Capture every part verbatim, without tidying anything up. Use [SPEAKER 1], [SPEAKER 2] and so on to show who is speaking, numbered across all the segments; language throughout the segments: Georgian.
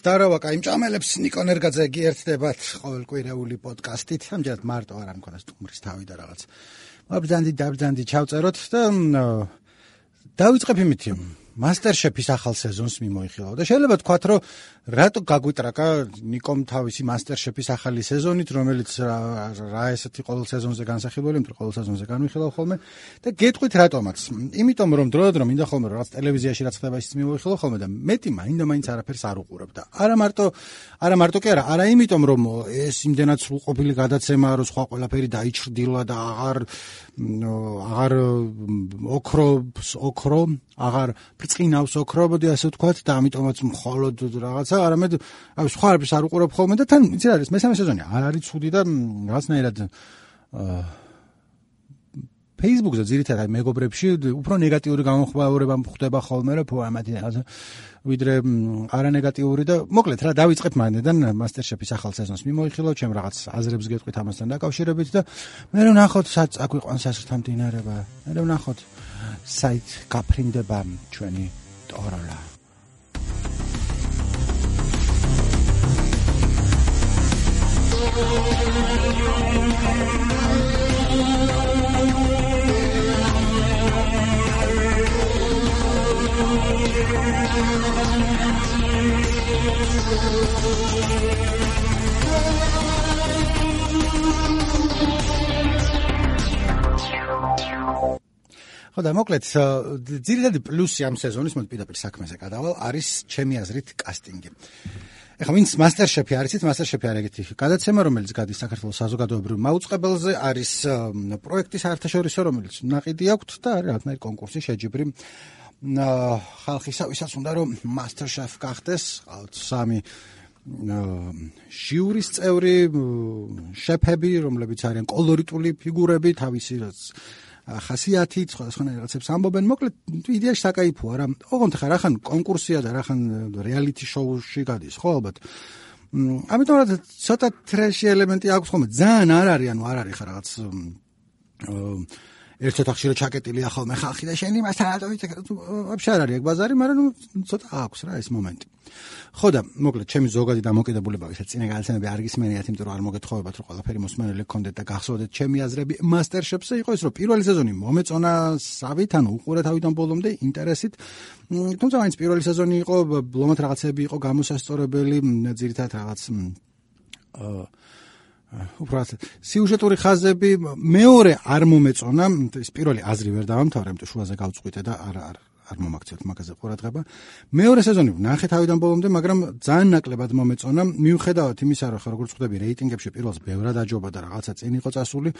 [SPEAKER 1] Zdarova, კაი მჭამელებს ნიკო ნერგაძე გიერთდებათ ყოველკვირეული პოდკასტით. ამჯერად მარტო არ მქონდა სტუმრის თავი და რაღაც. მობრძანდი დაბრძანდი ჩავწეროთ და დავიწყებ იმით. MasterChef-ის ახალ სეზონს მიმოიხილავ და შეიძლება თქვათ, რომ რატო გაგვიტრაკა ნიკომ თავისი MasterChef-ის ახალი სეზონით, რომელიც რა ესეთი ყოველ სეზონზე განსახილველი, იმიტომ ყოველ სეზონზე განვიხილავ ხოლმე და გეტყვით რატომაც. იმიტომ რომ დროდადრო მინდა ხოლმე რაღაც ტელევიზიაში რაც ხდება ისიც მიმოიხილავ ხოლმე და მეტი მაინდა მაინც არაფერს არ უყურებ და არა მარტო არა მარტო კი არა, არა იმიტომ რომ ეს იმდენად სრულყოფილი გადაცემაა, რომ სხვა ყველაფერი დაიჩრდილა და აღარ აღარ ოქრობს ოქრო, აღარ ბრწყინავს ოქრო, მოდი ასე ვთქვათ და ამიტომაც მხოლოდ რაღაცა, არამედ აი სხვა არაფერს არ უყურებ ხოლმე და თან იცი რა არის, მესამე სეზონი არ არის ცუდი და რაღაცნაირად Facebook-ზე ძირითადად მეგობრებში უფრო ნეგატიური გამოხმაურება ხდება ხოლმე, რომ ფო ამათი რაღაცა ვიდრე არანეგატიური და მოკლედ რა დავიწყებ მანდიდან MasterChef-ის ახალ სეზონს მიმოიხილავ, ჩემ რაღაც აზრებს გეტყვით ამასთან დაკავშირებით და მე რომ ნახოთ სად აგვიყვანს ასრთა მდინარება, მე რომ ნახოთ საით გაფრინდება ჩვენი ტოროლა. ხო და მოკლედ ძირითადი პლუსი ამ სეზონის მოდი პირდაპირ საქმეზე გადავალ არის ჩემი აზრით კასტინგი. ეხლა ვინც MasterChef-ი არის, MasterChef-ი არის ეგეთი გადაცემა, რომელიც გადის საქართველოს საზოგადოებრივ მაუწყებელზე, არის პროექტი საერთაშორისო, რომელიც ნაყიდი აქვთ და არის რაღაცნაირი კონკურსი შეჯიბრი ხალხისა, ვისაც უნდა რომ MasterChef გახდეს, ყავთ სამი ჟიურის წევრი, შეფები, რომლებიც არიან კოლორიტული ფიგურები, თავისი ხასიათით, სხვადასხვანაირ რაღაცებს ამბობენ. მოკლედ იდეაში საკაიფოა რა. ოღონდ ხა რახან კონკურსია და რახან რეალიტი შოუში გადის, ხო ალბათ. ამიტომ რა ცოტა ტრეში ელემენტი აქვს ხოლმე. ძალიან არ არის, ანუ არ არის ხა რაღაც ერთ ოთახში რო ჩაკეტილია ხოლმე ხალხი და შენ იმასთან რატო ვიცი, ვაფშე არ არის ეგ ბაზარი, მაგრამ ნუ ცოტა აქვს რა ეს მომენტი. ხო და მოკლედ ჩემი ზოგადი დამოკიდებულება ვისაც წინა გადაცემები არ გისმენიათ, იმიტომ რომ არ მოგეთხოვებათ რომ ყველაფერი მოსმენელი გქონდეთ და გახსოვდეთ ჩემი აზრები MasterChef-ზე იყო ის რომ პირველი სეზონი მომეწონა სავით, ანუ უყურე თავიდან ბოლომდე ინტერესით. თუმცა მაინც პირველი სეზონი იყო, ბლომად რაღაცები იყო გამოსასწორებელი, ძირითადად რაღაც აა უბრალოდ სიუჟეტური ხაზები, მეორე არ მომეწონა, ის პირველი აზრი ვერ დავამთავრე, იმიტომ შუაზე გავწყვიტე და არ არ არ მომაქცევთ მაგაზე ყურადღება. მეორე სეზონი ვნახე თავიდან ბოლომდე, მაგრამ ძალიან ნაკლებად მომეწონა, მიუხედავად იმისა, რომ როგორც ხვდები რეიტინგებში პირველს ბევრად აჯობა და რაღაცა წინ იყო წასული.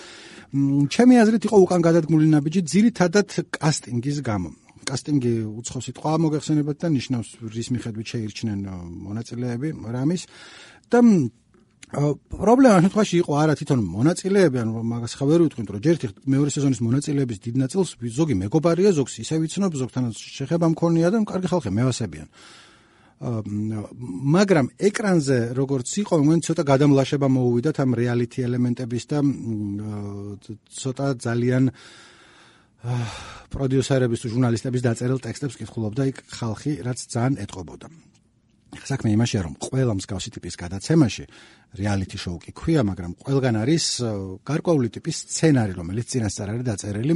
[SPEAKER 1] ჩემი აზრით იყო უკან გადადგმული ნაბიჯი ძირითადად კასტინგის გამო. კასტინგი უცხო სიტყვა მოგეხსენებათ და ნიშნავს რის მიხედვით შეირჩნენ მონაწილეები რამის და პრობლემა შემთხვევაში იყო არა თვითონ მონაწილეები, ანუ მაგას ხა ვერ ვიტყვით, რომ ჯერ ერთ მეორე სეზონის მონაწილეების დიდ ნაწილს ზოგი მეგობარია, ზოგს ისე ვიცნობ, ზოგთანაც შეხება მქონია და კარგი ხალხი მევასებიან. მაგრამ ეკრანზე როგორც იყო, მან ცოტა გადამლაშება მოუვიდათ ამ რეალიტი ელემენტების და ცოტა ძალიან პროდიუსერების თუ ჟურნალისტების დაწერილ ტექსტებს კითხულობდა იქ ხალხი, რაც ძალიან ეტყობოდა. საქმე იმაშია, რომ ყველა მსგავსი ტიპის გადაცემაში რეალიტი შოუ კი ქვია, მაგრამ ყველგან არის გარკვეული ტიპის სცენარი, რომელიც წინასწარ არის დაწერილი.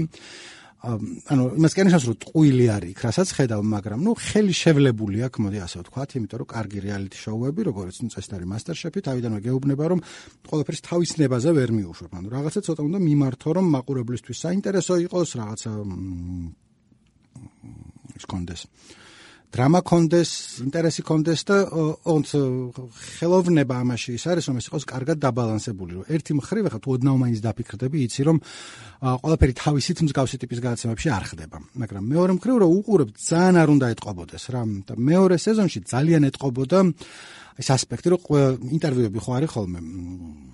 [SPEAKER 1] ანუ იმას კი ნიშნავს, რომ ტყუილი არის იქ, რასაც ხედავ, მაგრამ ნუ ხელი შევლებული აქვს, მოდი ასე ვთქვათ, იმიტომ რომ კარგი რეალიტი შოუები, როგორც ნუ წესით არის MasterChef-ი, თავიდანვე გეუბნება, რომ ყველაფერს თავის ნებაზე ვერ მიუშვებ. ანუ რაღაცა ცოტა უნდა მიმართო, რომ მაყურებლისთვის საინტერესო იყოს, რაღაცა ის კონდეს. დრამა კონდეს, ინტერესი კონდეს და ოღონდ ხელოვნება ამაში ის არის, რომ ეს იყოს კარგად დაბალანსებული, რომ ერთი მხრივ ახლა თუ ოდნავ მაინც დაფიქრდები, იცი რომ ყველაფერი თავისით მსგავსი ტიპის გადაცემებში არ ხდება, მაგრამ მეორე მხრივ რომ უყურებ ძალიან არ უნდა ეტყობოდეს რა და მეორე სეზონში ძალიან ეტყობოდა ეს ასპექტი, რომ ინტერვიუები ხო არის ხოლმე,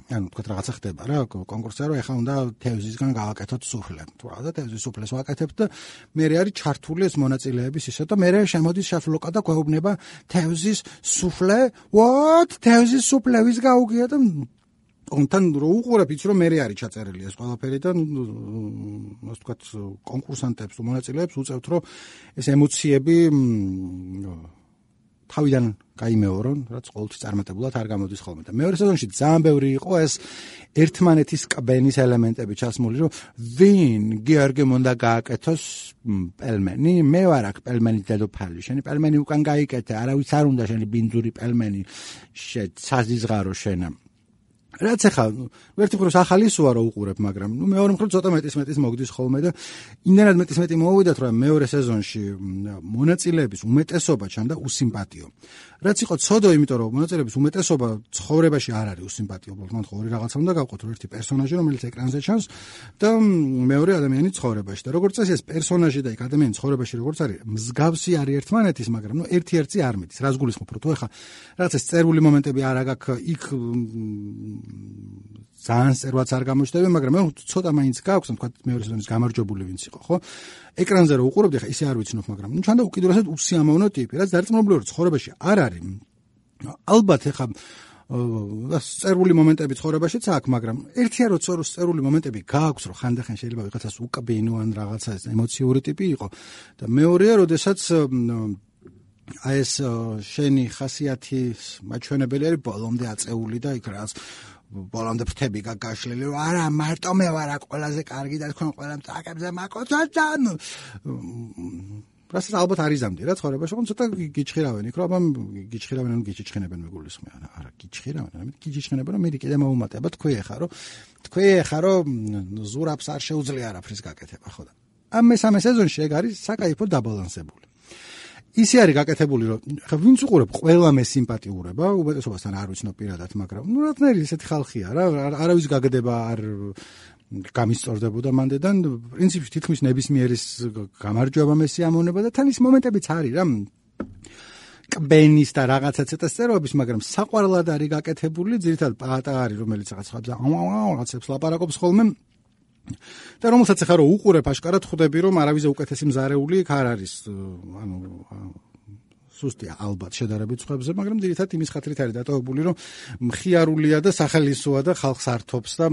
[SPEAKER 1] ანუ თქვა რაღაცა ხდება რა, კონკურსია რომ ეხლა უნდა თევზისგან გავაკეთოთ სუფლე. თუ რა და თევზის სუფლეს ვაკეთებთ და მე არის ჩართული ეს მონაწილეების ისე და მე შემოდის შაფლოკა და გვეუბნება თევზის სუფლე, what? თევზის სუფლე ვის გაუგია და თან რო უყურებ იცი რომ მე არის ჩაწერილი ეს ყველაფერი და ასე ვთქვათ კონკურსანტებს თუ მონაწილეებს უწევთ რომ ეს ემოციები თავიდან გაიმეორო, რაც ყოველთვის წარმატებულად არ გამოდის ხოლმე. და მეორე სეზონში ძალიან ბევრი იყო ეს ერთმანეთის კბენის ელემენტები ჩასმული, რომ ვინ გიორგიმ უნდა გააკეთოს პელმენი, მე ვარ აქ პელმენის დედოფალი, შენი პელმენი უკან გაიკეთე, არავის არ უნდა შენი ბინძური პელმენი, საზიზღარო შენა. რაც ახლა ერთი მხრივ ახალი სუა რო უყურებ, მაგრამ ნუ მეორე მხრივ ცოტა მეტის მეტის მოგდის ხოლმე და იმდენად მეტის მეტი მოვიდათ, რომ მეორე სეზონში მონაწილეების უმეტესობა ჩანდა უსიმპათიო. რაც იყო ცოდო, იმიტომ რომ მონაწილეების უმეტესობა ცხოვრებაში არ არის უსიმპათიო, მან ხო ორი რაღაცა უნდა გავყოთ, ერთი პერსონაჟი, რომელიც ეკრანზე ჩანს და მეორე ადამიანი ცხოვრებაში. და როგორც წესი ეს პერსონაჟი და იქ ადამიანი ცხოვრებაში როგორც არის, მსგავსი არის ერთმანეთის, მაგრამ ნუ ერთი-ერთი არ მიდის. რას გულისხმობ, რომ თუ ახლა რაღაც ეს წერული მომენტები არ აგაქვს, იქ ძალიან წერვაც არ გამოჩნდება, მაგრამ მე ცოტა მაინც გაქვს, თქვა მეორე სეზონის გამარჯვებული ვინც იყო, ხო? ეკრანზე რო უყურებდი, ხა ისე არ ვიცნობ, მაგრამ ნუ ჩანდა უკიდურესად უსიამოვნო ტიპი, რაც დარწმუნებული ვარ, ცხოვრებაში არ არის. ალბათ ხა წერული მომენტები ცხოვრებაშიც აქვს, მაგრამ ერთია რო წერული მომენტები გააქვს, რომ ხანდახან შეიძლება ვიღაცას უკბინო ან რაღაცა ემოციური ტიპი იყო და მეორეა, როდესაც აი ეს შენი ხასიათის მაჩვენებელი არის ბოლომდე აწეული და იქ რაღაც ბოლომდე ფრთები გაგაშლილი, რომ არა მარტო მე ვარ აქ ყველაზე კარგი და თქვენ ყველა მწაკებზე მაკოცოთ და რასაც ალბათ არ იზამდი რა ცხოვრებაში, ხომ ცოტა გიჩხირავენ იქ, რომ აბა გიჩხირავენ ან გიჩიჩხენებენ მეგულისხმე, არა გიჩხირავენ, ამით გიჩიჩხენებენ, რომ მე კიდე მოუმატება თქვი ახლა, რომ თქვი ახლა, რომ ზურაბს არ შეუძლია არაფრის გაკეთება, ხო და ამ მესამე სეზონში ეგ არის საკაიფო დაბალანსებული. ისე არის გაკეთებული, რომ ხა ვინც უყურებ, ყველა მე სიმპათიურება, უმეტესობასთან არ ვიცნობ პირადად, მაგრამ ნუ რაღაცნაირი ესეთი ხალხია რა, არავის გაგდება არ გამისწორდებოდა მანდედან, პრინციპში თითქმის ნებისმიერის გამარჯვება მე სიამოვნება და თან ის მომენტებიც არის რა. კბენის და რაღაცა ცოტა სტერეობის, მაგრამ საყვარლად არის გაკეთებული, ძირითადად პატა არის, რომელიც რაღაც ხაბზა რაღაცებს ლაპარაკობს ხოლმე. და რომელსაც ახლა რო უყურებ, აშკარად ხვდები, რომ არავის უკეთესი მზარეული იქ არ არის, ანუ სუსტია ალბათ შედარებით სხვებზე, მაგრამ ძირითადად იმის ხათრით არის დატოვებული, რომ მხიარულია და სახელისოა და ხალხს ართობს და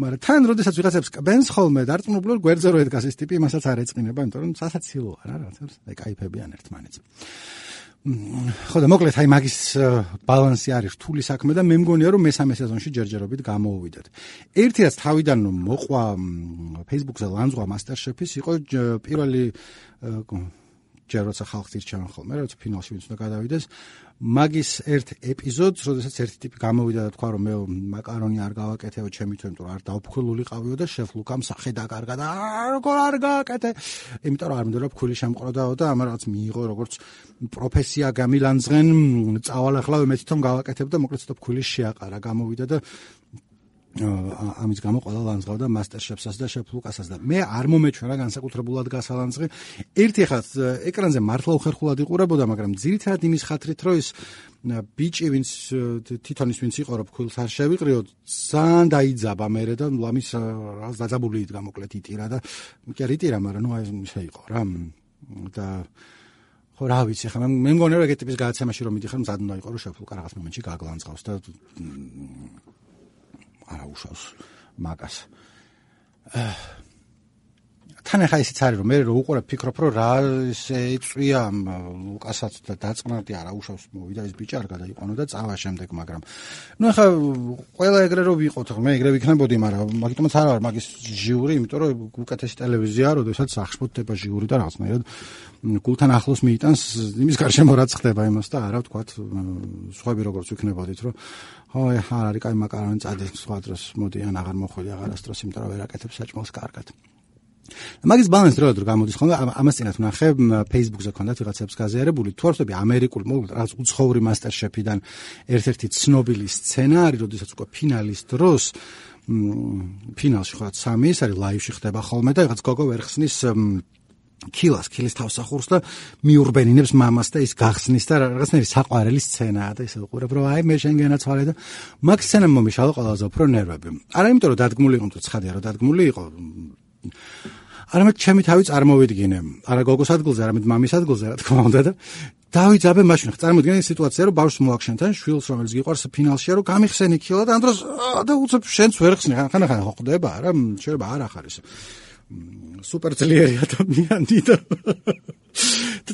[SPEAKER 1] მაგრამ თან როდესაც ვიღაცებს კბენს ხოლმე დარწმუნებული ვარ, გვერდზე რო ედგას ეს ტიპი, იმასაც არ ეწყინება, იმიტომ რომ სასაცილოა რა, რაღაცებს აი кайფებიან ერთმანეთს. ხო და მოკლედ აი მაგის ბალანსი არის რთული საქმე და მე მგონია რომ მესამე სეზონში ჯერჯერობით გამოუვიდეთ. ერთი რაც თავიდან მოყვა Facebook-ზე ლანძღვა MasterChef-ის იყო პირველი ჯერ როცა ხალხს ირჩევენ ხოლმე, როცა ფინალში ვინც უნდა გადავიდეს, მაგის ერთ ეპიზოდს, როდესაც ერთი ტიპი გამოვიდა და თქვა რომ მე მაკარონი არ გავაკეთეო ჩემი თვე, იმიტომ რომ არ დავფხილულიყავიო და შეფ ლუკამ სახე დაკარგა და როგორ არ გააკეთე, იმიტომ რომ არ მინდოდა ფქვილი შემყროდაო და ამ რაღაც მიიღო როგორც პროფესია გამილანძღენ, წავალ ახლა მე თვითონ გავაკეთებ და მოკლედ ცოტა ფქვილი შეაყარა, გამოვიდა და ამის გამო ყველა ლანძღავდა MasterChef-ს და Chef Lucas-ს და მე არ მომეჩვენა განსაკუთრებულად გასალანძღი. ერთი ხაც ეკრანზე მართლა უხერხულად იყურებოდა, მაგრამ ძირითადად იმის ხათრით, რომ ის ბიჭი, ვინც თვითონ ის ვინც იყო, რომ ფქვილს არ შევიყრიო, ძალიან დაიძაბა მერე და ლამის რაღაც დაძაბული იდგა მოკლედ იტირა და კი არ იტირა, მაგრამ ნუ აი ისე იყო რა და ხო რა ვიცი, ხა მე მგონია რომ ეგეთი ტიპის გადაცემაში რომ მიდიხარ, მზად უნდა იყო რომ Chef Luca რაღაც მომენტში გაგლანძღავს და არა უშავს მაგას. თან ახლა ისიც არის რომ მე რო უყურებ ფიქრობ რომ რა ესე იწვია ლუკასაც და დაწყნარდი არა უშავს მოვიდა ეს ბიჭი არ გადაიყვანო და წავა შემდეგ, მაგრამ ნუ ახლა ყველა ეგრე რო ვიყოთ, მე ეგრე ვიქნებოდი, მაგრამ მაგიტომაც არ ვარ მაგის ჟიური, იმიტომ რომ უკეთესი ტელევიზია, როდესაც აღშფოთდება ჟიური და რაღაცნაირად გულთან ახლოს მიიტანს იმის გარშემო რაც ხდება იმას და არა ვთქვათ სხვები როგორც ვიქნებოდით, რომ ხო არ არის კაი მაკარონი წადი სხვა დროს მოდი ან აღარ მოხვედი აღარასდროს, იმიტომ რომ ვერ აკეთებ საჭმელს კარგად. მაგის ბალანსი რა გამოდის ხოლმე, ამას წინათ ვნახე Facebook-ზე ქონდათ ვიღაცებს გაზიარებული, თუ არ ვთქვი ამერიკული მოკლედ რაღაც უცხოური MasterChef-დან ერთ-ერთი ცნობილი სცენარი, როდესაც უკვე ფინალის დროს ფინალში ხო სამი ის არის ლაივში ხდება ხოლმე და რაღაც გოგო ვერ ხსნის კილას, კილის თავსახურს და მიურბენინებს მამას და ის გახსნის და რაღაცნაირი საყვარელი სცენაა და ისე უყურებ რომ აი მე შენ განაცვალე და მაგ სცენამ მომიშალა ყველაზე უფრო ნერვები. არა იმიტომ რომ დადგმული იყო, თუ ცხადია რომ დადგმული იყო. არამედ ჩემი თავი წარმოვიდგინე, არა გოგოს ადგილზე, არამედ მამის ადგილზე, რა თქმა უნდა და დავიძაბე მაშინ. წარმოვიდგინე სიტუაცია, რომ ბავშვს მოახშენთან, შვილს რომელიც გიყვარს ფინალშია, რომ გამიხსენი კილა და ამ დროს და უცებ შენც ვერ ხსნი, ხან-ხან ხო ხდება რა, შეიძლება არ ახარ ისე სუპერ ძლიერი ადამიანი და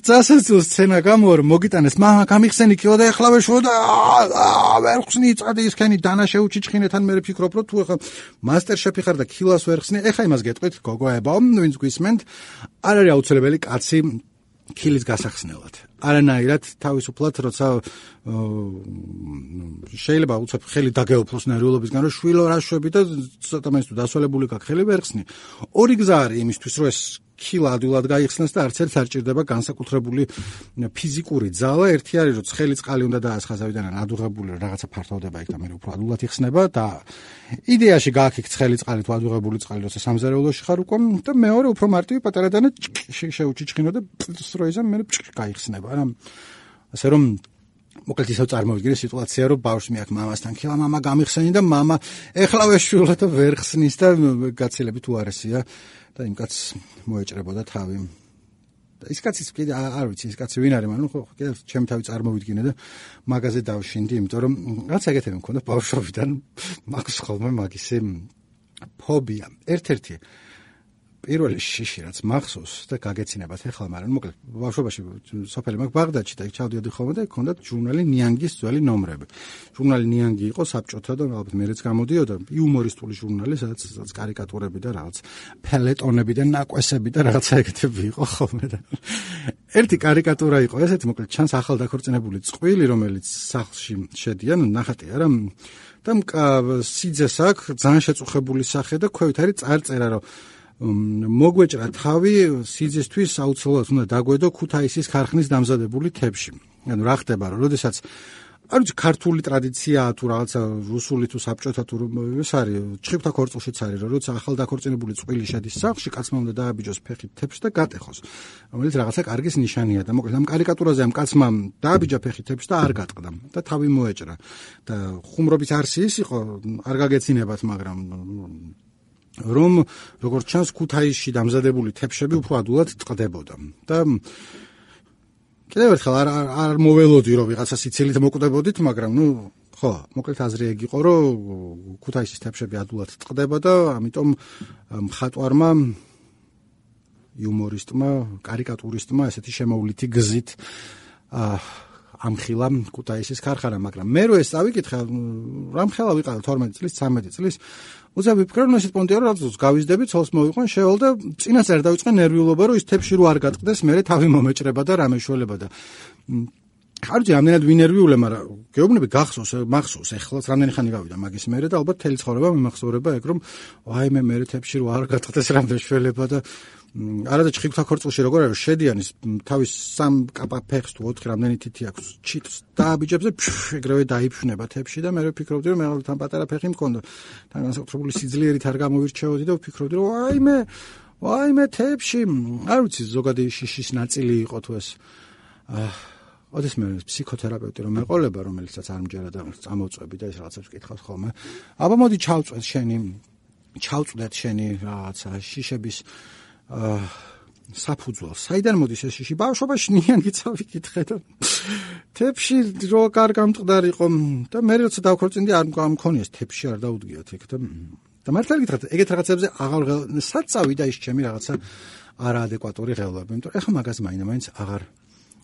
[SPEAKER 1] წასასწულ სცენა გამო რომ მოგიტანეს მამა გამიხსენი კილო და ეხლა ვეშო და ვერ ხსნი წადი ისქენი დანა შეუჩიჩხინეთან მე ვფიქრობ რომ თუ ეხლა მასტერ შეფი ხარ და კილოს ვერ ხსნი ეხლა იმას გეტყვით გოგოებო ვინც გვისმენთ არ არის აუცილებელი კაცი კილის გასახსნელად არანაირად თავისუფლად როცა შეიძლება უცებ ხელი დაგეუფლოს ნერვიულობისგან რომ შვილო რა შვები და ცოტა მაინც თუ დასვალებული გაქვს ხელი ვერ ხსნი ორი გზა არის იმისთვის რომ ეს კილა ადვილად გაიხსნას და არც ერთ არ ჭირდება განსაკუთრებული ფიზიკური ძალა ერთი არის რომ ცხელი წყალი უნდა დაასხაზავიდან ადუღებული რაღაცა ფართოვდება იქ და მე უფრო ადვილად იხსნება და იდეაში გააქიქ ცხელი წყალი თუ ადუღებული წყალი როცა სამზარეულოში ხარ უკვე და მეორე უფრო მარტივი პატარა დანა შეუჩიჩხინო და სტროიზა მე გაიხსნება რა ასე რომ მოკლედ ისევ წარმოვიდგინე სიტუაცია რომ ბავშვი მეაქ მამასთან ქილა მამა გამიხსენი და მამა ეხლა ვეშვილო და ვერ ხსნის და გაცილებით უარესია და იმ კაცს მოეჭრებოდა თავი და ის კაცის კიდე არ ვიცი ის კაცი ვინ არის მაგრამ ხო კიდე ჩემი თავი წარმოვიდგინე და მაგაზე დავშინდი იმიტომ რომ რაც ეგეთები მქონდა ბავშვობიდან მაქვს ხოლმე მაგისი ფობია ერთ-ერთი პირველი შიში რაც მახსოვს და გაგეცინებათ ეხლა მაგრამ მოკლედ ბავშვობაში სოფელი მაგ ბაღდადში და იქ ჩავდიოდი ხოლმე და იქ ჰქონდათ ჟურნალი ნიანგის ძველი ნომრები ჟურნალი ნიანგი იყო საბჭოთა და ალბათ მეც გამოდიოდა იუმორისტული ჟურნალი სადაც კარიკატურები და რაღაც ფელეტონები და ნაკვესები და რაღაცა ეგეთები იყო ხოლმე და ერთი კარიკატურა იყო ესეთი მოკლედ ჩანს ახალდაქორწინებული წყვილი რომელიც სახლში შედიან ნახატია რა და სიძეს აქვს ძალიან შეწუხებული სახე და ქვევით არის წარწერა რომ მოგვეჭრა თავი სიძესთვის აუცილებლად უნდა დაგვედო ქუთაისის ქარხნის დამზადებული თებში. ანუ რა ხდება რომ როდესაც არ ვიცი ქართული ტრადიციაა თუ რაღაცა რუსული თუ საბჭოთა თუ ეს არის ჩხიფთა ქორწილშიც არის რომ როცა ახალდაქორწინებული წყვილი შედის სახლში კაცმა უნდა დააბიჯოს ფეხით თებში და გატეხოს რომელიც რაღაცა კარგის ნიშანია და მოკლედ ამ კარიკატურაზე ამ კაცმა დააბიჯა ფეხით თებში და არ გატყდა და თავი მოეჭრა და ხუმრობის არსი ის იყო არ გაგეცინებათ მაგრამ რომ როგორც ჩანს ქუთაისში დამზადებული თებშები უფრო ადვილად ტყდებოდა და კიდევ ერთხელ არ არ მოველოდი რომ ვიღაცა სიცილით მოკვდებოდით მაგრამ ნუ ხო მოკლედ აზრი ეგ იყო რომ ქუთაისის თებშები ადვილად ტყდება და ამიტომ მხატვარმა იუმორისტმა კარიკატურისტმა ესეთი შემოვლითი გზით ამხილა ქუთაისის ქარხანა მაგრამ მე რო ეს წავიკითხე რამხელა ვიყავ თორმეტი წლის ცამეტი წლის უცა ვიფიქრე რომ ესეთ პონტია რომ რაღაც გავიზდები ცოლს მოვიყვან შევალ და წინასწარ დავიწყე ნერვიულობა რომ ის თებში რო არ გატყდეს მე თავი მომეჭრება და რამე შველება და არ ვიცი რამდენად ვინერვიულე მაგრამ გეუბნები გახსოვს მახსოვს ეხლაც რამდენი ხანი გავიდა მაგის მერე და ალბათ თელი ცხოვრება მიმახსოვრება ეგ რომ ვაიმე მე თებში რო არ გატყდეს რამე შველება და არადა ჩხიფთა ქორწილში როგორ არის შედიან ის თავის სამ კაპა ფეხს თუ ოთხი რამდენი თითი აქვს ჩიტს დააბიჯებს და ეგრევე დაიფშნება თებში და მე ვფიქრობდი რომ მე თან პატარა ფეხი მქონდა თან განსაკუთრებული სიძლიერით არ გამოვირჩეოდი და ვფიქრობდი რომ ვაიმე ვაიმე თებში არ ვიცი ზოგადი შიშის ნაწილი იყო თუ ეს ოდეს მე ფსიქოთერაპევტი რომ მეყოლება რომელიცაც არ მჯერა და წამოვწვევი და ეს რაღაცებს კითხავს ხოლმე აბა მოდი ჩავწვეთ შენი ჩავწვდეთ შენი რაღაცა შიშების საფუძველ. საიდან მოდის ეს შიში? ბავშვობაში ნიანგი წავიკითხე და თებში რო კარგ გამწყდარიყო და მე როცა დავქორწინდი არ მქონიეს თებში არ დაუდგიათ ეგ და და მართლა გითხრათ ეგეთ რაღაცებზე აღარ საწავი და ის ჩემი რაღაცა არაადეკვატური ღელვები. იმიტომ ეხლა მაგას მაინდა-მაინც აღარ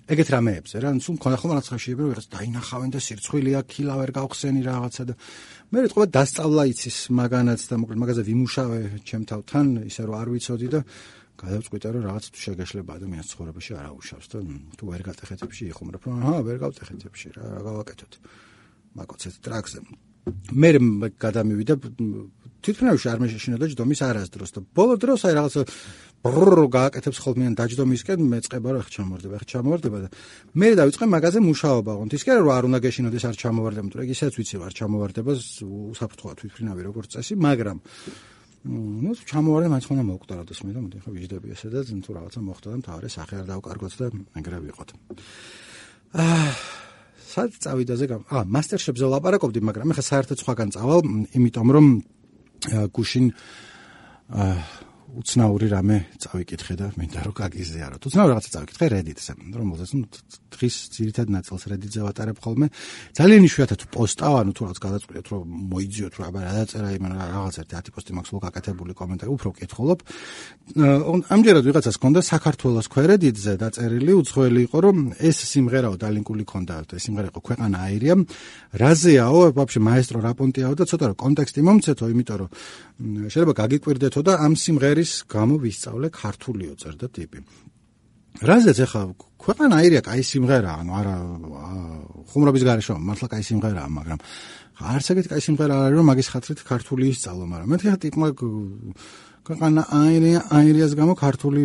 [SPEAKER 1] ეგეთ რამეებზე რა სულ მქონდა ხოლმე რაღაც ხაშიები რომ რაღაც დაინახავენ და სირცხვილია ქილა ვერ გავხსენი რაღაცა და მე რეთქვა დასწავლა იცის მაგანაც და მოკლედ მაგაზე ვიმუშავე ჩემ თავთან ისე რომ არ ვიცოდი და გადავწყვიტე რომ რაღაც თუ შეგეშლება ადამიანის ცხოვრებაში არ აუშავს და თუ ვერ გატეხეთებში იხუმრებ რომ აჰა ვერ გავტეხეთებში რა რა გავაკეთოთ მაგოცეთ ტრაქზე მე გადამივიდა თვითმფრინავში არ მეშინოდა ჯდომის არასდროს და ბოლო დროს აი რაღაც ბრრ გააკეთებს ხოლმე დაჯდომისკენ მეწყება რა ჩამოვარდება ხა ჩამოვარდება და მე დავიწყე მაგაზე მუშაობა ოღონდ ის კი არა რომ არ უნდა გეშინოდეს არ ჩამოვარდება იმიტომ რომ ისაც ვიცი არ ჩამოვარდება უსაფრთხოა თვითმფრინავი როგორც წესი მაგრამ ну ჩამოვარდა მაინც ხონა მოვკვდაროდეს მე და მოდი ხა ვიждები ესე და თუ რაღაცა მოხდა და მთავარი სახე არ დავკარგოთ და ეგრე ვიყოთ აა სად წავიდაზე გამ აა მასტერშეფზე ვლაპარაკობდი მაგრამ მე ხა საერთოდ სხვაგან წავალ იმიტომ რომ გუშინ აა უცნაური რამე წავიკითხე და მინდა რომ გაგიზიაროთ. უცნაური რაღაცა წავიკითხე Reddit-ზე, რომელზეც ნუ დღის ძირითად ნაწილს Reddit-ზე ვატარებ ხოლმე. ძალიან იშვიათად პოსტავ, ანუ თუ რაღაც გადაწყვეტთ რომ მოიძიოთ რომ აბა რა დაწერა იმ რაღაც ერთი ათი პოსტი მაქვს სულ გაკეთებული კომენტარი, უფრო ვკითხულობ. ამჯერად ვიღაცას ჰქონდა საქართველოს Reddit-ზე დაწერილი, უცხოელი იყო რომ ეს სიმღერაო დალინკული ჰქონდა, ეს სიმღერა იყო ქვეყანა აირია. რაზეაო, ვაფშე მაესტრო რაპონტიაო და ცოტა რომ კონტექსტი მომცეთო, იმიტომ რომ შეიძლება გაგიკვირდეთო და ამ სიმღერის გამო ვისწავლე ქართულიო წერდა ტიპი. რაზეც ახლა ქვეყანა აირია კაი სიმღერაა, ანუ არა ხუმრობის გარეშე მართლა კაი სიმღერაა, მაგრამ არც ეგეთი კაი სიმღერა არის რომ მაგის ხათრით ქართული ისწავლო, მაგრამ მეთქი ხა ტიპმა ქვეყანა აირია აირიას გამო ქართული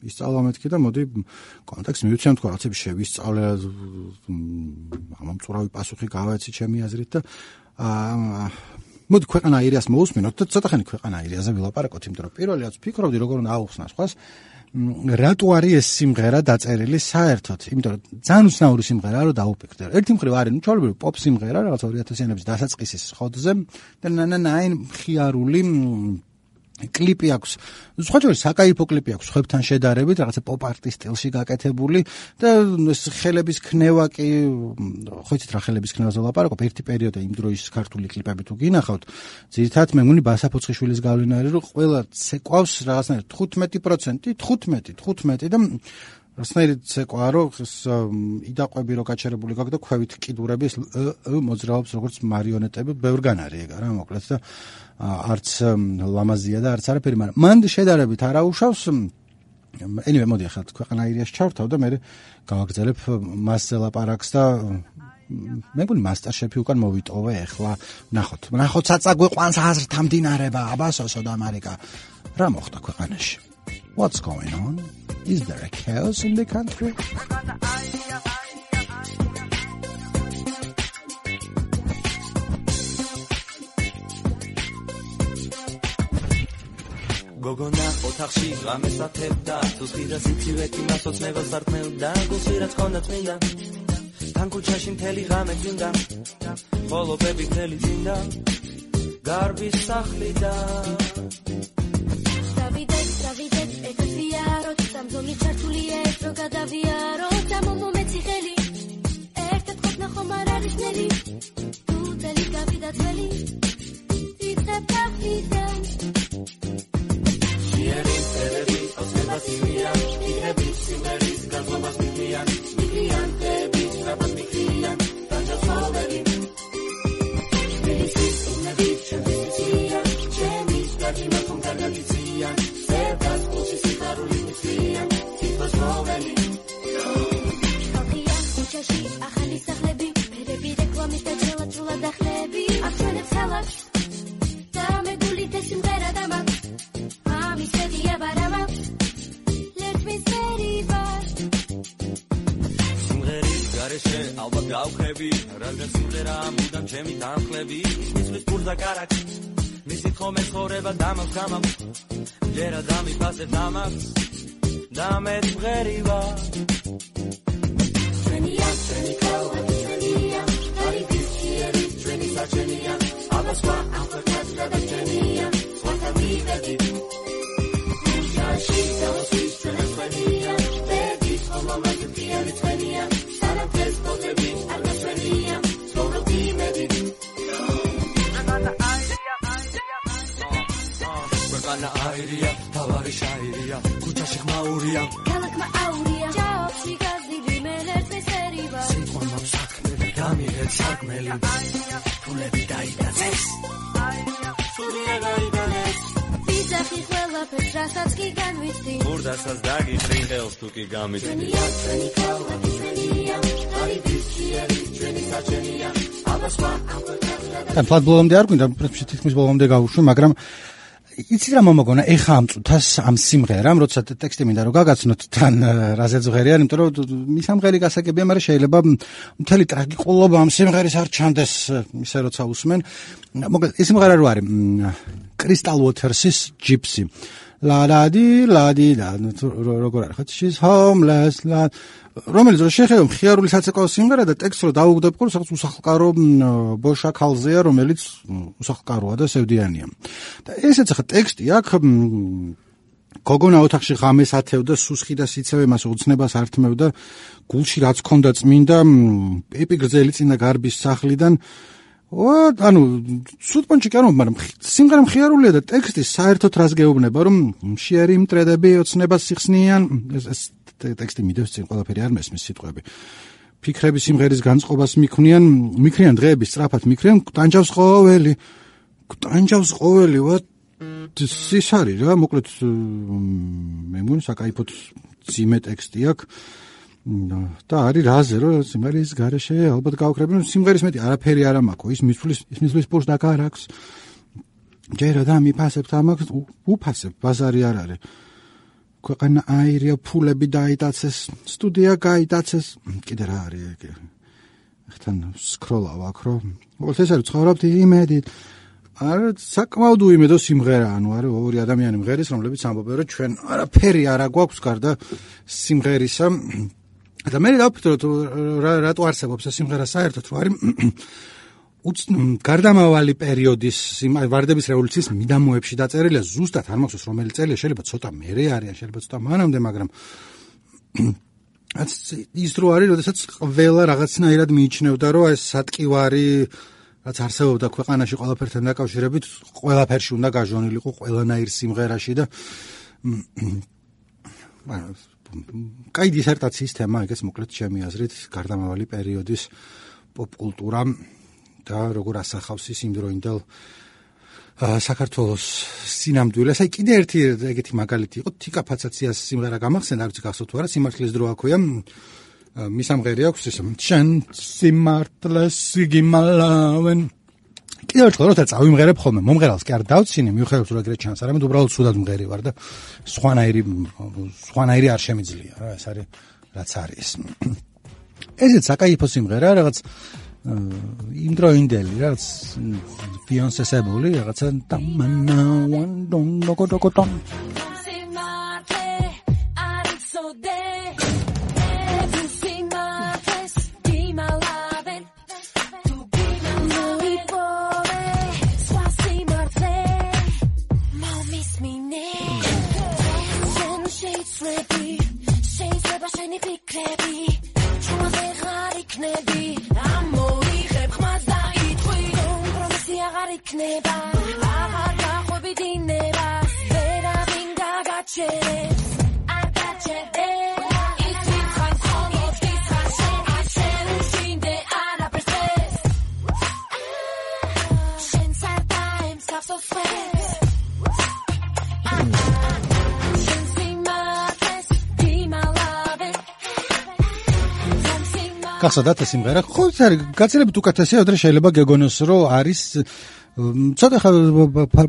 [SPEAKER 1] ისწავლა მეთქი და მოდი კონტექსტ მივიცემ თქვა რაღაცები შევისწავლე, ამომწურავი პასუხი გავეცი ჩემი აზრით და აა მოდი ქვეყანა აირიას მოусმინოთ და ცოტა ხანი ქვეყანა აირიაზე ვილაპარაკოთ, იმიტომ რომ პირველი რაც ვფიქრობდი როგორ უნდა აუხსნა სხვას, რატო არის ეს სიმღერა დაწერილი საერთოდ, იმიტომ რომ ძალიან უცნაური სიმღერაა რომ დაუპირდე. ერთი მხრივ არის ნუ ჩვეულებრივი პოპ სიმღერა რაღაც ორი ათასიანების დასაწყისის ხოდზე და ნანა მხიარული კლიპი აქვს. სხვა შორის საკაიფო კლიპი აქვს ხებთან შედარებით, რაღაცა პოპ არტის სტილში გაკეთებული და ხელების ქნევა კი, ხო იცით რა ხელების ქნევაზე ვლაპარაკობ, ერთი პერიოდი იმ დროის ქართული კლიპები თუ გინახავთ, ძირითადად მე მგონი ბასა ფოცხიშვილის გავლენა არის, რომ ყველა ცეკვავს რაღაცნაირად თხუთმეტი პროცენტი, თხუთმეტი, თხუთმეტი და რასნაირად ცეკვა რომ იდაყვები რო გაჩერებული გაქვს და ქვევით კიდურების მოძრაობს როგორც მარიონეტები, ბევრგან არის ეგ რა მოკლედ და არც ლამაზია და არც არაფერი, მაგრამ მან შედარებით არ აუშავს. anyway, მოდი ახლა ქვეყანა აირიას ჩავთავ და მე გავაგზავნებ მასზე ლაპარაკს და მე მგონი მასტერშეფი უკან მოვიტოვე ახლა. ნახოთ, ნახოთ საწაგვიყვანს აზრთა მდინარება, აბასოსო და ამერიკა. რა მოხდა ქვეყანაში? What's going on? Is there a chaos in the country?
[SPEAKER 2] გოგონა ოთახში ღამეს ათებდა, თუთი და სიცივეთი მასოცნებას დარტყმევდა, გულში რაც ჰქონდა წმინდა, თან ქუჩაში მთელი ღამე წინდა, ხოლობები მთელი წინდა, გარბის სახლი და
[SPEAKER 3] დავიდეთ, დავიდეთ, ერთად ვიაროთ, სამზოლი ჩართულია ეს რო გადავიაროთ, დამომომეცი ხელი, ერთად ყოფნა ხომ არ არის ნელი, თუ წელი გავიდა წელი, ვიწყებ დახიდან. Shierin, televi, osmebas mimian, ihebit, simeris, gazobas mimian, mimian, hebit, rabat mimian, tanjas hoveli. Shmirisis, unebit, shemisian, shemis, gajima, konkargagisian, serdas, usis, iharuli, misian, titbas hoveli. Shkalkia, uchashi, achali, sahlebi, perebi, reklamit, ajela, chula, dahlebi, achweneb, salak, da megulit, esimghera, damak. Miseria barama, let me seriva.
[SPEAKER 2] Simღერის გარეშე ალბათ გავხები, რადგან სიმღერა მუდამ ჩემი დამხლები, მისვლის პურდა კარაკი, მისი ხომე ცხოვრება დამაქვს გამაქვს, ჯერა დამიფასებ დამაქვს, და მე სიმღერივა. ჩვენია, ჩვენი ქალა, ჩვენია, არიფის შიერი, ჩვენი საჩენია, აბა სხვა ამხელად გადაჩენია, სხვათა მივედით. She tells me straight as when he am, baby, so mama you can't explain me am. Sana test for the beach, I'm not ready am. So the team ready. We're gonna idea, tavari shairia, kucha shikmauria.
[SPEAKER 3] Kalak mauria, job she got the limelet me seriva.
[SPEAKER 2] Sikon mam sakmeli, gami het sakmeli. Tulebi daida zes. Sudia daida zes.
[SPEAKER 3] Bizakhi ყველაფერს რასაც კი განვიცდი,
[SPEAKER 2] ურდასაც დაგიფრინდელს თუ კი გამიწდი.
[SPEAKER 3] ჩვენია, ჩვენი ქალა, ჩვენია, არიფის შიერი, ჩვენი საჩენია, აბა სხვა ამხელად.
[SPEAKER 1] თან ფლად ბოლომდე არ გვინდა, პრინციპში თითქმის ბოლომდე გავუშვი, მაგრამ იცით რა მომოგონა, ეხა ამ წუთას ამ სიმღერამ, როცა ტექსტი მინდა რომ გაგაცნოთ თან რაზეც ღერიან, იმიტომ რომ მის ამღერი გასაგებია, მაგრამ შეიძლება მთელი ტრაგიკულობა ამ სიმღერის არ ჩანდეს ისე როცა უსმენ. მოკლედ ეს სიმღერა რო არის Crystal Waters's Gypsy. ლადადი ლადი და როგორ არის ხო she's homeless la რომელიც რო შეხედო მხიარული საცეკვაო სიმღერა და ტექსტს რო დაუგდებ ყურს რაღაც უსახლკარო ბოშა ქალზეა რომელიც უსახლკაროა და სევდიანია და ესეც ახლა ტექსტი აქ გოგონა ოთახში ღამეს ათევდა სუსხი და სიცევე მას უცნებას ართმევდა გულში რაც ქონდა წმინდა პიპი გრძელი წინა გარბის სახლიდან ო ანუ სუტპონჩი კი არ მაგრამ სიმღერა მხიარულია და ტექსტი საერთოდ რას გეუბნება რომ მშიერი მტრედები ოცნებას სიხსნიან ეს ტექსტი მიდევს წინ ყველაფერი არ მესმის სიტყვები ფიქრები სიმღერის განწყობას მიქმნიან მიქრიან დღეების სწრაფად მიქრიან ტანჯავს ყოველი ტანჯავს ყოველი ვა ის არის რა მოკლედ მე მგონი საკაიფოდ ძიმე ტექსტი აქვს და არის რაზე რომ სიმღერის გარეშე ალბათ გავქრები რომ სიმღერის მეტი არაფერი არ მაქვს ის მისვლის ის მისვლის პურს დაკარაქვს ჯერა და მიფასებ თამაკს უფასებ ბაზარი არ არის ქვეყანა აირია ფულები დაიტაცეს სტუდია გაიტაცეს კიდე რა არის ხთან სკროლავ აქ რომ მოკლედ ეს არის ცხოვრობთ იმედით არა საკმაოდ უიმედო სიმღერა ანუ არის ორი ადამიანი მღერის რომლებიც ამბობენ რომ ჩვენ არაფერი არ აგვაქვს გარდა სიმღერისა და მე დავფიქრე რომ რატო არსებობს ეს სიმღერა საერთოდ რომ არის გარდამავალი პერიოდის ვარდების რევოლუციის მიდამოებში დაწერილია ზუსტად არ მახსოვს რომელი წელია შეიძლება ცოტა მერე არის შეიძლება ცოტა მანამდე მაგრამ ის რო არის როდესაც ყველა რაღაცნაირად მიიჩნევდა რომ ეს სატკივარი რაც არსებობდა ქვეყანაში ყველაფერთან დაკავშირებით ყველაფერში უნდა გაჟონილიყო ყველანაირ სიმღერაში და კაი დისერტაციის თემა ეგეც მოკლედ ჩემი აზრით გარდამავალი პერიოდის პოპ კულტურა და როგორ ასახავს ის იმდროინდელ საქართველოს სინამდვილეს. აი კიდე ერთი ეგეთი მაგალითი იყო თიკა ფაცაციას სიმღერა გამახსენდა არ ვიცი გახსოვთ თუ არა სიმართლის დრო აქვეა მის ამღერი აქვს ეს შენ სიმართლეს გიმალავენ კიდე ერთხელ როცა წავიმღერებ ხოლმე მომღერალს კი არ დავცინე მიუხედავად რომ ეგრე ჩანს არამედ უბრალოდ სულად მღერი ვარ და სხვანაირი სხვანაირი არ შემიძლია რა ეს არის რაც არის ესეც საკაიფო სიმღერა რაღაც იმდროინდელი რაც ბიონსესებული რაღაცა დამანა ვან დონ დოკო დოკო დონ გახსოვდათ ეს სიმღერა? ხო, ეს არის გაცილებით უკეთესია, ვიდრე შეიძლება გეგონოს, რომ არის ცოტა ხა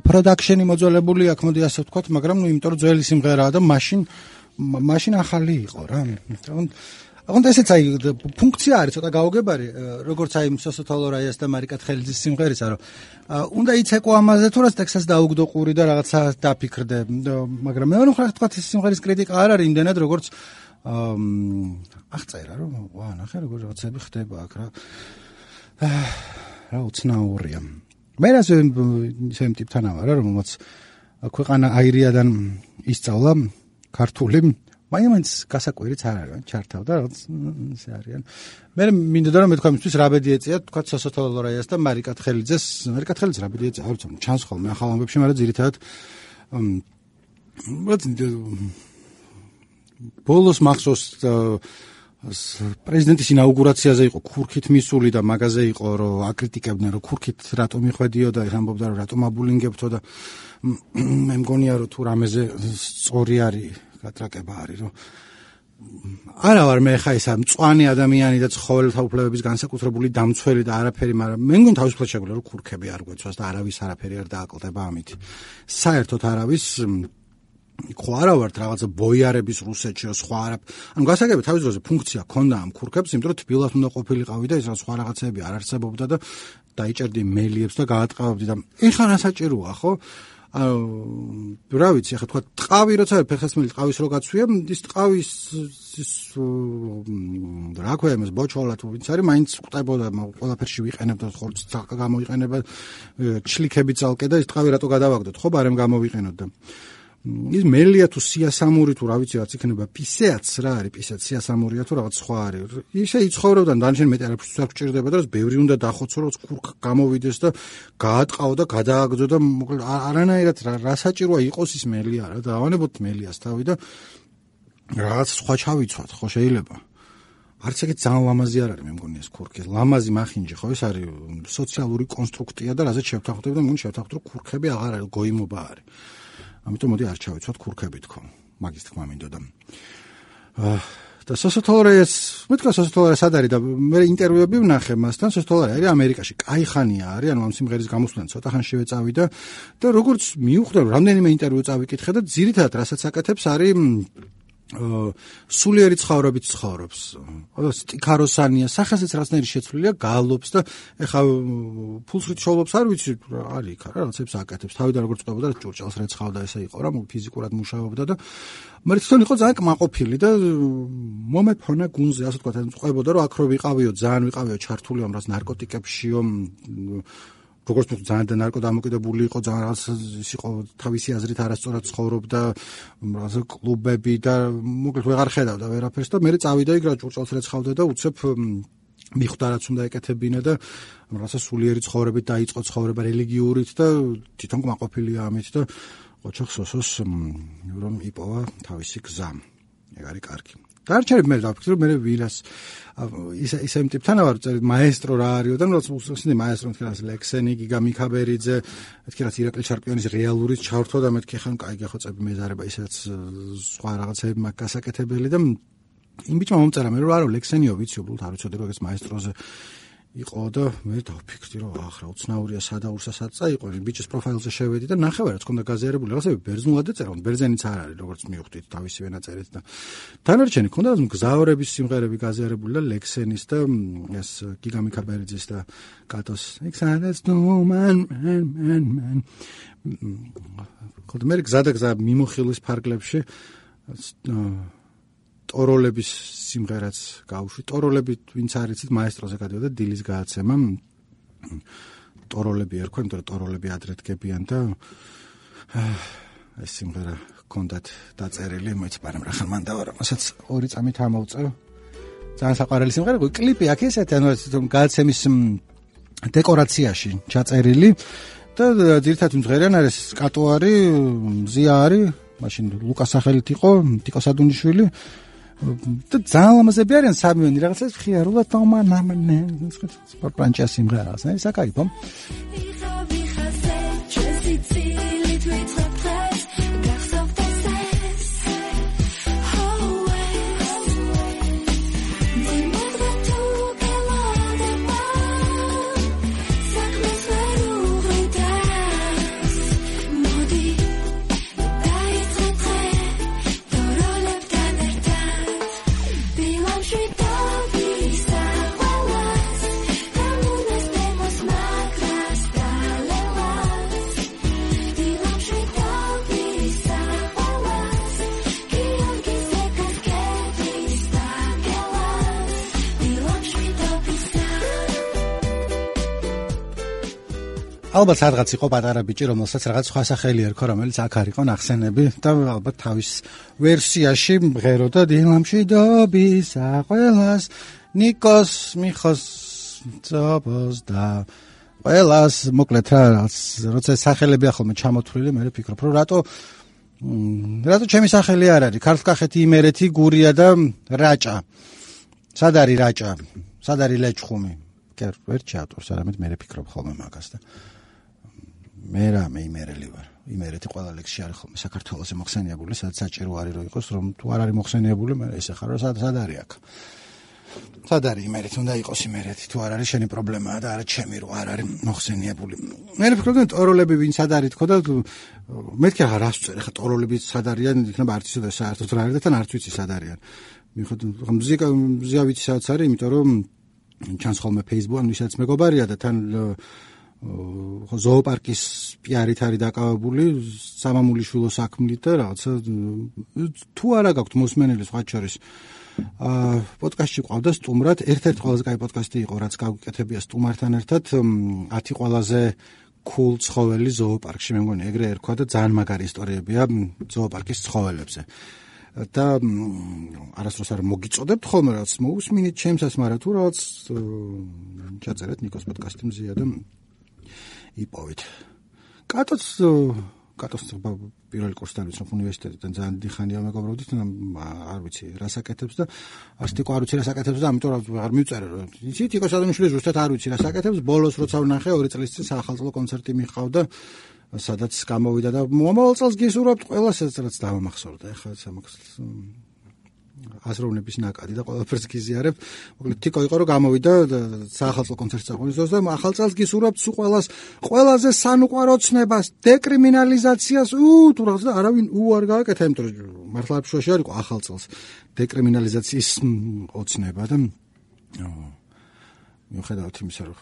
[SPEAKER 1] პროდაქშენი მოძველებული აქ მოდი ასე ვთქვათ, მაგრამ ნუ იმიტომ რომ ძველი სიმღერაა და მაშინ მაშინ ახალი იყო რა. აღონდა ესეც აი ფუნქცია არის ცოტა გაუგებარი, როგორც აი სოსოთალო რაიას და მარიკა თხელიძის სიმღერისა, რომ უნდა იცეკო ამაზე თუ რას ტექსტს დაუგდო ყური და რაღაცა დაფიქრდე, მაგრამ მე ვთქვათ თქვათ ეს სიმღერის კრიტიკა არ არის იმდენად როგორც აღწერა რომ ვა ნახე როგორ რაღაცები ხდება აქ რა რა უცნაურია მე რას ისე ტიპთან ვარ რა რომელსაც ქვეყანა აირიადან ისწავლა ქართული მაინც გასაკვირიც არ არის ჩართავდა რაღაც ისე არიან მე მინდოდა რომ მე თქვა მისთვის რა ბედი ეწია თქვა სოსოთალო რაიას და მარიკა თხელიძეს მარიკა თხელიძე რა ბედი ეწია არ ვიცი ჩანს ხოლმე ახალ ამბებში მაგრამ ძირითადად ბოლოს მახსოვს პრეზიდენტის ინაუგურაციაზე იყო ქურქით მისული და მაგაზე იყო რომ აკრიტიკებდნენ რომ ქურქით რატომ მიხვედიოდა ამბობდა რომ რატომ აბულინგებთო და მე მგონია რომ თუ რამეზე სწორი არის გატრაკება არის რომ არა ვარ მე ხა ისა მწვანე ადამიანი და ცხოველთა უფლებების განსაკუთრებული დამცველი და არაფერი მაგრამ მე მგონი თავისუფლად შეგვიძლია რომ ქურქები არ გვეცვას და არავის არაფერი არ დააკლდება ამით საერთოდ არავის ხო არა ვართ რაღაცა ბოიარების რუსეთში სხვა არა ანუ გასაგებია თავის დროზე ფუნქცია ქონდა ამ ქურქებს იმიტომ რომ თბილად უნდა ყოფილიყავი და ის რა სხვა რაღაცები არ არსებობდა და დაიჭერდი მელიებს და გაატყავდი და ეხლა რა საჭიროა ხო ანუ რა ვიცი, ახლა თქვა ტყავი როცა ფეხსაცმელი ტყავის რო გაცვია, ის ტყავის ის რა ქვია იმას ბოჩოლა თუ ვინც არის, მაინც ყვდებოდა, ყველაფერში ვიყენებდოთ ხორცს გამოიყენება, ჩლიქები ძალკე და ის ტყავი რატო გადავაგდოთ, ხო, ბარემ გამოვიყენოთ და ის მელია თუ სიასამური თუ რა ვიცი რაც იქნება პისეაც რა არის პისეაც სიასამურია თუ რაღაც სხვა არის ისე იცხოვრებდა დანარჩენ მეტი არაფერს არ გჭირდება და ბევრი უნდა დახოცო რომ ქურქ გამოვიდეს და გაატყაო და გადააგდო და მოკლედ არანაირად რა საჭიროა იყოს ის მელია რა და ავანებოთ მელიას თავი და რაღაც სხვა ჩავიცვათ ხო შეიძლება არც ეგეთ ძალიან ლამაზი არ არის მე მგონი ეს ქურქი ლამაზი მახინჯი ხო ეს არის სოციალური კონსტრუქტია და რაზეც შევთანხმდები და მგონი შევთანხმდ რომ ქურქები აღარ არის გოიმობა არის ამიტომ მოდი არ ჩავიცვათ ქურქები თქო მაგის თქმა მინდოდა და სოსოთოლორეს მეთქვა სოსოთოლორე სად არის და მე ინტერვიუები ვნახე მასთან სოსოთოლორე არის ამერიკაში კაიხანია არის ანუ ამ სიმღერის გამოსვლიდან ცოტა ხანში წავიდა და როგორც მიუხვდა რომ რამდენიმე ინტერვიუ წავიკითხე და ძირითადად რასაც აკეთებს არის სულიერი ცხოვრებით ცხოვრობს. სტიქაროსანია, სახესაც რაღაცნაირი შეცვლილია, გალობს და ეხა ფულსრით შოულობს, არ ვიცი, არის იქ, რა რაღაცებს აკეთებს. თავიდან როგორც ყვებოდა, ჭურჭელს რეცხავდა, ესე იყო რა, ფიზიკურად მუშაობდა და მაგრამ თვითონ იყო ძალიან კმაყოფილი და მომეფონა გუნზე, ასე ვთქვათ, ყვებოდა, რომ აქ რო ვიყავიო, ძალიან ვიყავიო ჩართული ამ რაღაც ნარკოტიკებშიო როგორც თუ ძალიან და ნარკოდამოკიდებული იყო, ძალიან რაღაც ის იყო თავისი აზრით არასწორად ცხოვრობდა, რაღაც კლუბები და მოკლედ ვეღარ ხედავდა ვერაფერს და მე წავიდა იქ რა ჭურჭელს რეცხავდა და უცებ მიხვდა რაც უნდა ეკეთებინა და რაღაცა სულიერი ცხოვრებით დაიწყო ცხოვრება რელიგიურით და თვითონ კმაყოფილია ამით და ოჩახ სოსოს რომ იპოვა თავისი გზა. ეგ არის კარგი. დარჩენებ მე დავფიქრე რომ მე ვირას ისე ისე იმ ტიპთან ვარ წერით მაესტრო რა არისო და როცა უსწრაფსინე მაესტრო თქვენას ლექსენი გიგა მიქაბერიძე მეთქი რაც ირაკლი ჩარკვიანის რეალურიც ჩავრთო და მეთქი ხან კაი გახოცები მეზარება ისეც სხვა რაღაცები მაგ გასაკეთებელი და იმ ბიჭმა მომწერა მე რომ არა ლექსენიო ვიცი უბრალოდ არ ვიცოდი რომ ეს მაესტროზე იყო და მე დავფიქრდი რომ ახრა უცნაურია სადაურსა სადცა იყო ბიჭის პროფაილზე შევედი და ნახევარ რაც ქონდა გაზიარებული რაღაცები ბერძნულად ეწერა ბერძენიც არ არის როგორც მივხვდით თავისი ვენაწერით და დანარჩენი ქონდა მგზავრების სიმღერები გაზიარებული და ლექსენის და ეს გიგა მიქაბერიძის და კატოს ექსანეს ნომან მან მან მან ქონდა მე გზა და გზა მიმოხილვის ფარგლებში ტოროლების სიმღერაც გავუშვი. ტოროლები ვინც არიცით მაესტროზე გადავიდა დილის გააცემა. ტოროლები ერქვა, იმიტომ რომ ტოროლები ადრე დგებიან და ეს სიმღერა ჰქონდათ დაწერილი, მოიც პარამ რა ხან მან დავარა, მასაც ორი წამით ამოვწევ. ძალიან საყვარელი სიმღერა, კლიპი აქ ესეთი, ანუ ეს გააცემის დეკორაციაში ჩაწერილი და ძირითადად სიმღერიან არის კატო არის, მზია არის, მაშინ ლუკას სახელით იყო, ტიკო სადუნიშვილი და ძალიან ლამაზები არიან სამივენი რაღაცას ხიარულად თამანამნე სპორტპანჭა სიმღერას ეს საკაიფო ალბათ სადღაც იყო პატარა ბიჭი, რომელსაც რაღაც სხვა სახელი ერქვა, რომელიც აქ არ იყო ნახსენები და ალბათ თავის ვერსიაში მღეროდა დილამში dobisa ყველას ნიკოს მიხოს ძაბოს და ყველას მოკლედ რა როცა სახელები ახლა ჩამოთვლილი მე ვფიქრობ რომ რატო რატო ჩემი სახელი არ არის ქართლ-კახეთი იმერეთი გურია და რაჭა სად არის რაჭა სად არის ლეჩხუმი კი ვერ ჩავტვირს არამედ მე ვფიქრობ ხოლმე მაგას და მე რა მე იმერელი ვარ იმერეთი ყველა ლექსში არის ხოლმე საქართველოს მოხსენიებული სადაც საჭირო არის რომ იყოს რომ თუ არ არის მოხსენიებული მე ესე ხარ რომ სად არის აქ სად არის იმერეთი უნდა იყოს იმერეთი თუ არ არის შენი პრობლემაა და არა ჩემი რომ არ არის მოხსენიებული მე ვფიქრობ რომ ტოროლები ვინ სად არის თქო და მეთქი აღარ ასწერ ხა ტოროლები სად არიან იქნება არც ისე საერთოდ რა არის და თან არც ვიცი სად არიან მიხედავ მუსიკა მუსიკა ვიცი სადაც არის იმიტომ რომ ჩანს ხოლმე Facebook-ან ვისაც მეგობარია და თან ხო ზოოპარკის პიარით არის დაკავებული სამამულიშვილო საქმით და რაღაცა თუ არა გაქვთ მოსმენელი სხვა შორის აა პოდკასტში ყავდა სტუმრად ერთ-ერთი ყველაზე კაი პოდკასტი იყო რაც გავიკეთებია სტუმართან ერთად ათი ყველაზე cool ცხოველი ზოოპარკში მე მგონი ეგრე ერქვა და ძალიან მაგარი ისტორიებია ზოოპარკის ცხოველებზე და არასდროს არ მოგიწოდებთ ხოლმე რაც მოусმინით ჩემსაც მაგრამ თუ რაღაც ჩაწერეთ ნიკოს პოდკასტი მზია და იპოვეთ. კატოც კატოს პირველი კურსი დავიცნობ უნივერსიტეტიდან ძალიან დიხანია მეგობრობდით არ ვიცი რას აკეთებს და ასტიკო არ ვიცი რას აკეთებს და ამიტომ არ მივწერე რომ იცით იკო სადამშვილი ზუსტად არ ვიცი რას აკეთებს ბოლოს როცა ვნახე ორი წლის წინ საახალწლო კონცერტი მიყავდა სადაც გამოვიდა და მომავალ წელს გისურვებთ ყველას რაც დავამახსოვრდა ეხლა სამახს აზროვნების ნაკადი და ყველაფერს გიზიარებ. მოკლედ თიკო იყო რომ გამოვიდა საახალწლო კონცერტს აღვნიშნოს და ახალ წელს გისურვებთ სულ ყველას ყველაზე სანუყვარო ცნებას, დეკრიმინალიზაციას, უ თუ რაღაც და არავინ უ არ გააკეთა, იმიტომ რომ მართლა ბშოში არ იყო ახალ წელს დეკრიმინალიზაციის ოცნება და მიუხედავად იმისა რომ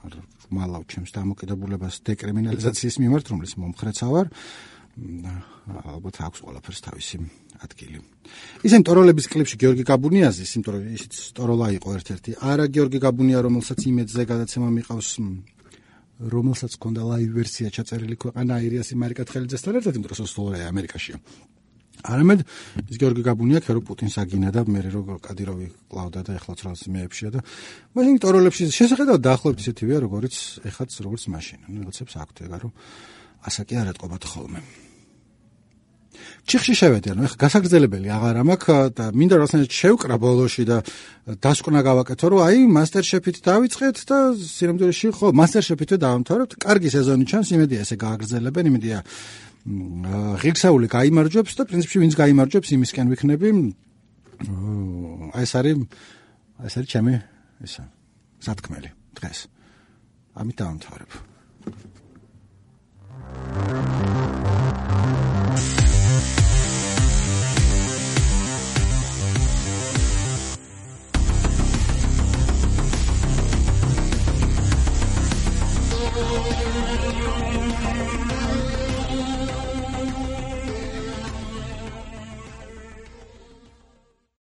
[SPEAKER 1] არ მალავ ჩემს დამოკიდებულებას დეკრიმინალიზაციის მიმართ, რომლის მომხრეცა ვარ, ალბათ აქვს ყველაფერს თავისი ადგილი. ისინი ტოროლების კლიპში გიორგი გაბუნიაზის, იმიტომ რომ ისიც ტოროლა იყო ერთ-ერთი. არა გიორგი გაბუნია, რომელსაც იმედზე გადაცემა მიყავს, რომელსაც ჰქონდა ლაივ ვერსია ჩაწერილი ქვეყანა აირიასი მარიკათხელიძესთან ერთად, იმიტომ რომ სოსტოლია ამერიკაშია. არამედ ის გიორგი გაბუნია, ქერო პუტინს აგინა და მე რო კადიროვი კლავდა და ეხლა ცრალს მეებშია და მაშინ ტოროლებში შესაძლოა დაახლოებით ისეთივეა, როგორც ეხაც როგორც მაშინ. ნუ რაღაცებს აქვთ ეგა რომ ასაკი არ ეთყობათ ხოლმე. ჩიხში შევედი, ანუ ეხა გასაგრძელებელი აღარ მაქვს და მინდა რაღაცნაირად შევკრა ბოლოში და დასკვნა გავაკეთო, რომ აი მასტერშეფით დავიწყეთ და სინამდვილეში ხო მასტერშეფით დავამთავრებთ. კარგი სეზონი ჩანს, იმედია ესე გააგრძელებენ, იმედია ღირსეული გაიმარჯვებს და პრინციპში ვინც გაიმარჯვებს იმისკენ ვიქნები. აი ეს არის აი ეს არის ჩემი ისა სათქმელი დღეს. ამით დავამთავრებ.